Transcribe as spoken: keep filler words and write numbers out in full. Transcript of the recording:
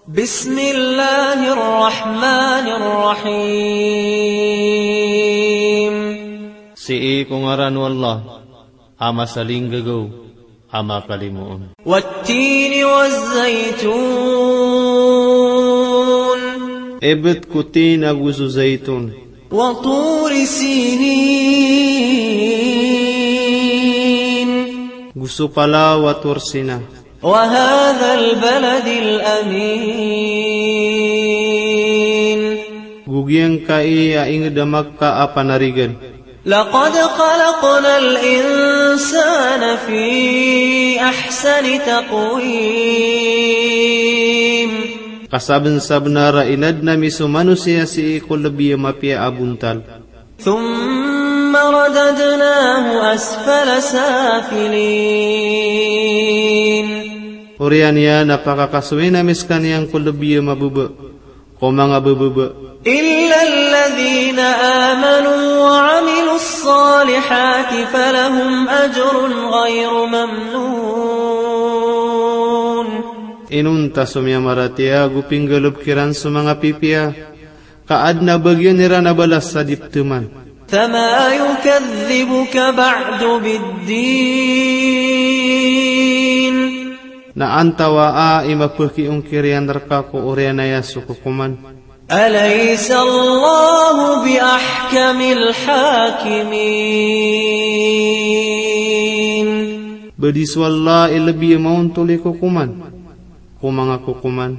بسم الله الرحمن الرحيم. Sii ko ngaran o Allah, a masalinggagaw, a makalimoon. والتين والزيتون. Ibt ko tin ago so zaitun. وطور سينين. Go so palaw a Tur Sina. وهذا البلد الأمين. Go giyangkai a ingd a Makkah a panarigan. لقد خلقنا الإنسان في أحسن تقويم. Ka sabnsabnar a inadn ami so manosiya sii ko lbi a mapiya a bontal. ثم رددناه أسفل سافلين. Oriyan iyan a pakakasoyin ami skaniyan ko lbi a mababa, ko manga bababa. إلا الذين آمنوا وعملوا الصالحات فلهم أجر غير ممنون. Inonta so miyamaratiyaya ago pinggalbk iran so manga pipiya, ka adn a bagian iran a balas a di ptman. فما يكذبك بعد بالدين. Na antawaa i mapakiongkir iyan rka ko oriyan aya so kokoman. أليس الله بأحكم الحاكمين. Ba di so Allah i lbi a maontol i kokoman ko manga kokoman.